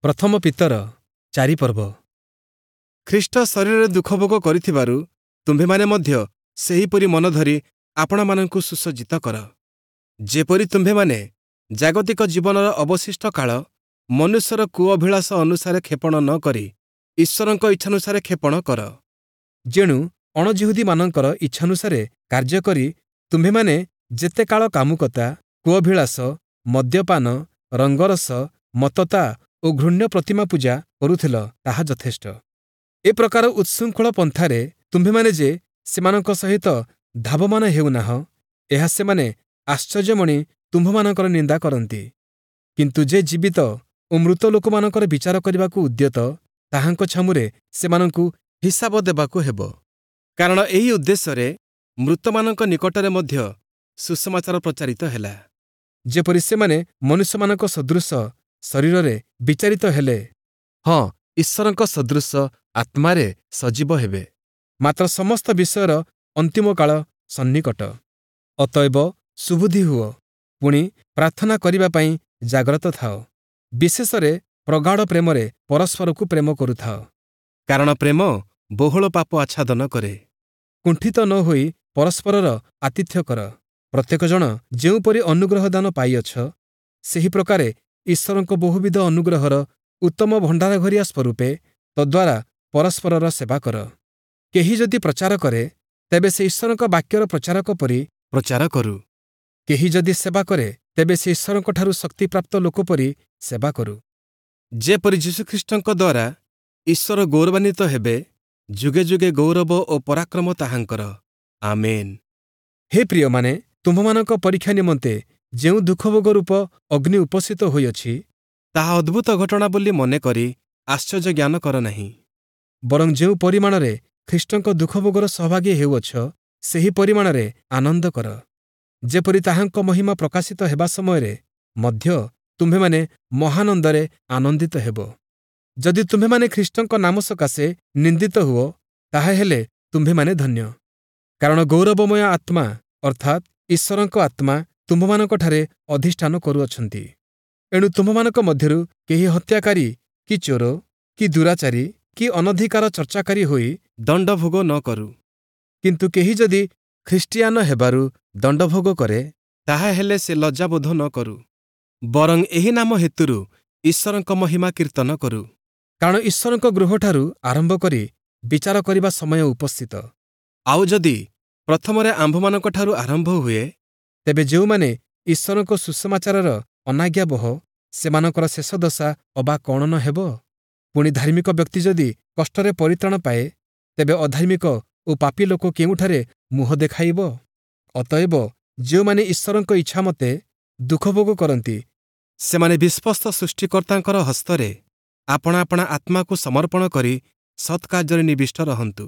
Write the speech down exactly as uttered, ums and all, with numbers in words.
ପ୍ରଥମ ପିତର ଚାରି ପର୍ବ ଖ୍ରୀଷ୍ଟ ଶରୀରରେ ଦୁଃଖଭୋଗ କରିଥିବାରୁ ତୁମ୍ଭେମାନେ ମଧ୍ୟ ସେହିପରି ମନ ଧରି ଆପଣାମାନଙ୍କୁ ସୁସଜ୍ଜିତ କର। ଯେପରି ତୁମ୍ଭେମାନେ ଜାଗତିକ ଜୀବନର ଅବଶିଷ୍ଟ କାଳ ମନୁଷ୍ୟର କୁଅଭିଳାଷ ଅନୁସାରେ କ୍ଷେପଣ ନ କରି ଈଶ୍ୱରଙ୍କ ଇଚ୍ଛାନୁସାରେ କ୍ଷେପଣ କର। ଯେଣୁ ଅଣଯିହୁଦୀମାନଙ୍କର ଇଚ୍ଛାନୁସାରେ କାର୍ଯ୍ୟ କରି ତୁମ୍ଭେମାନେ ଯେତେ କାଳ କାମୁକତା, କୁଅଭିଳାଷ, ମଦ୍ୟପାନ, ରଙ୍ଗରସ, ମତ୍ତତା ଓ ଘୃଣ୍ୟ ପ୍ରତିମା ପୂଜା କରୁଥିଲ, ତାହା ଯଥେଷ୍ଟ। ଏ ପ୍ରକାର ଉଚ୍ଛୃଙ୍ଖଳ ପନ୍ଥାରେ ତୁମ୍ଭେମାନେ ଯେ ସେମାନଙ୍କ ସହିତ ଧାବମାନ ହେଉନାହଁ, ଏହା ସେମାନେ ଆଶ୍ଚର୍ଯ୍ୟମଣି ତୁମ୍ଭମାନଙ୍କର ନିନ୍ଦା କରନ୍ତି। କିନ୍ତୁ ଯେ ଜୀବିତ ଓ ମୃତ ଲୋକମାନଙ୍କର ବିଚାର କରିବାକୁ ଉଦ୍ୟତ, ତାହାଙ୍କ ଛାମୁରେ ସେମାନଙ୍କୁ ହିସାବ ଦେବାକୁ ହେବ। କାରଣ ଏହି ଉଦ୍ଦେଶ୍ୟରେ ମୃତମାନଙ୍କ ନିକଟରେ ମଧ୍ୟ ସୁସମାଚାର ପ୍ରଚାରିତ ହେଲା, ଯେପରି ସେମାନେ ମନୁଷ୍ୟମାନଙ୍କ ସଦୃଶ ଶରୀରରେ ବିଚାରିତ ହେଲେ, ହଁ, ଈଶ୍ୱରଙ୍କ ସଦୃଶ ଆତ୍ମାରେ ସଜୀବ ହେବେ। ମାତ୍ର ସମସ୍ତ ବିଷୟର ଅନ୍ତିମ କାଳ ସନ୍ନିକଟ। ଅତଏବ ସୁବୁଦ୍ଧି ହୁଅ, ପୁଣି ପ୍ରାର୍ଥନା କରିବା ପାଇଁ ଜାଗ୍ରତ ଥାଅ। ବିଶେଷରେ ପ୍ରଗାଢ଼ ପ୍ରେମରେ ପରସ୍ପରକୁ ପ୍ରେମ କରୁଥାଅ, କାରଣ ପ୍ରେମ ବହୁଳ ପାପ ଆଚ୍ଛାଦନ କରେ। କୁଣ୍ଠିତ ନ ହୋଇ ପରସ୍ପରର ଆତିଥ୍ୟ କର। ପ୍ରତ୍ୟେକ ଜଣ ଯେଉଁପରି ଅନୁଗ୍ରହ ଦାନ ପାଇଅଛ, ସେହି ପ୍ରକାରେ ଈଶ୍ୱରଙ୍କ ବହୁବିଧ ଅନୁଗ୍ରହର ଉତ୍ତମ ଭଣ୍ଡାରଘରିଆ ସ୍ୱରୂପେ ତଦ୍ୱାରା ପରସ୍ପରର ସେବା କର। କେହି ଯଦି ପ୍ରଚାର କରେ, ତେବେ ସେ ଈଶ୍ୱରଙ୍କ ବାକ୍ୟର ପ୍ରଚାରକ ପରି ପ୍ରଚାର କରୁ। କେହି ଯଦି ସେବା କରେ, ତେବେ ସେ ଈଶ୍ୱରଙ୍କଠାରୁ ଶକ୍ତିପ୍ରାପ୍ତ ଲୋକ ପରି ସେବା କରୁ, ଯେପରି ଯୀଶୁଖ୍ରୀଷ୍ଟଙ୍କ ଦ୍ୱାରା ଈଶ୍ୱର ଗୌରବାନ୍ୱିତ ହେବେ। ଯୁଗେ ଯୁଗେ ଗୌରବ ଓ ପରାକ୍ରମ ତାହାଙ୍କର। ଆମେନ୍। ହେ ପ୍ରିୟମାନେ, ତୁମ୍ଭମାନଙ୍କ ପରୀକ୍ଷା ନିମନ୍ତେ ଯେଉଁ ଦୁଃଖଭୋଗ ରୂପ ଅଗ୍ନି ଉପସ୍ଥିତ ହୋଇଅଛି, ତାହା ଅଦ୍ଭୁତ ଘଟଣା ବୋଲି ମନେକରି ଆଶ୍ଚର୍ଯ୍ୟ ଜ୍ଞାନ କର ନାହିଁ। ବରଂ ଯେଉଁ ପରିମାଣରେ ଖ୍ରୀଷ୍ଟଙ୍କ ଦୁଃଖଭୋଗର ସହଭାଗୀ ହେଉଅଛ, ସେହି ପରିମାଣରେ ଆନନ୍ଦ କର, ଯେପରି ତାହାଙ୍କ ମହିମା ପ୍ରକାଶିତ ହେବା ସମୟରେ ମଧ୍ୟ ତୁମ୍ଭେମାନେ ମହାନନ୍ଦରେ ଆନନ୍ଦିତ ହେବ। ଯଦି ତୁମ୍ଭେମାନେ ଖ୍ରୀଷ୍ଟଙ୍କ ନାମ ସକାଶେ ନିନ୍ଦିତ ହୁଅ, ତାହାହେଲେ ତୁମ୍ଭେମାନେ ଧନ୍ୟ, କାରଣ ଗୌରବମୟ ଆତ୍ମା, ଅର୍ଥାତ୍ ଈଶ୍ୱରଙ୍କ ଆତ୍ମା ତୁମ୍ଭମାନଙ୍କଠାରେ ଅଧିଷ୍ଠାନ କରୁଅଛନ୍ତି। ଏଣୁ ତୁମ୍ଭମାନଙ୍କ ମଧ୍ୟରୁ କେହି ହତ୍ୟାକାରୀ କି ଚୋର କି ଦୁରାଚାରୀ କି ଅନଧିକାର ଚର୍ଚ୍ଚାକାରୀ ହୋଇ ଦଣ୍ଡଭୋଗ ନ କରୁ। କିନ୍ତୁ କେହି ଯଦି ଖ୍ରୀଷ୍ଟିଆନ ହେବାରୁ ଦଣ୍ଡଭୋଗ କରେ, ତାହାହେଲେ ସେ ଲଜ୍ଜାବୋଧ ନ କରୁ, ବରଂ ଏହି ନାମ ହେତୁରୁ ଈଶ୍ୱରଙ୍କ ମହିମା କୀର୍ତ୍ତନ କରୁ। କାରଣ ଈଶ୍ୱରଙ୍କ ଗୃହଠାରୁ ଆରମ୍ଭ କରି ବିଚାର କରିବା ସମୟ ଉପସ୍ଥିତ। ଆଉ ଯଦି ପ୍ରଥମରେ ଆମ୍ଭମାନଙ୍କଠାରୁ ଆରମ୍ଭ ହୁଏ, ତେବେ ଯେଉଁମାନେ ଈଶ୍ୱରଙ୍କ ସୁସମାଚାରର ଅନାଜ୍ଞାବହ, ସେମାନଙ୍କର ଶେଷ ଦଶା ଅବା କ'ଣ ନ ହେବ? ପୁଣି ଧାର୍ମିକ ବ୍ୟକ୍ତି ଯଦି କଷ୍ଟରେ ପରିତ୍ରାଣ ପାଏ, ତେବେ ଅଧାର୍ମିକ ଓ ପାପୀ ଲୋକ କେଉଁଠାରେ ମୁହଁ ଦେଖାଇବ? ଅତଏବ ଯେଉଁମାନେ ଈଶ୍ୱରଙ୍କ ଇଚ୍ଛାମତେ ଦୁଃଖଭୋଗ କରନ୍ତି, ସେମାନେ ବିଶ୍ୱସ୍ତ ସୃଷ୍ଟିକର୍ତ୍ତାଙ୍କର ହସ୍ତରେ ଆପଣା ଆପଣା ଆତ୍ମାକୁ ସମର୍ପଣ କରି ସତ୍କାର୍ଯ୍ୟରେ ନିବିଷ୍ଟ ରହନ୍ତୁ।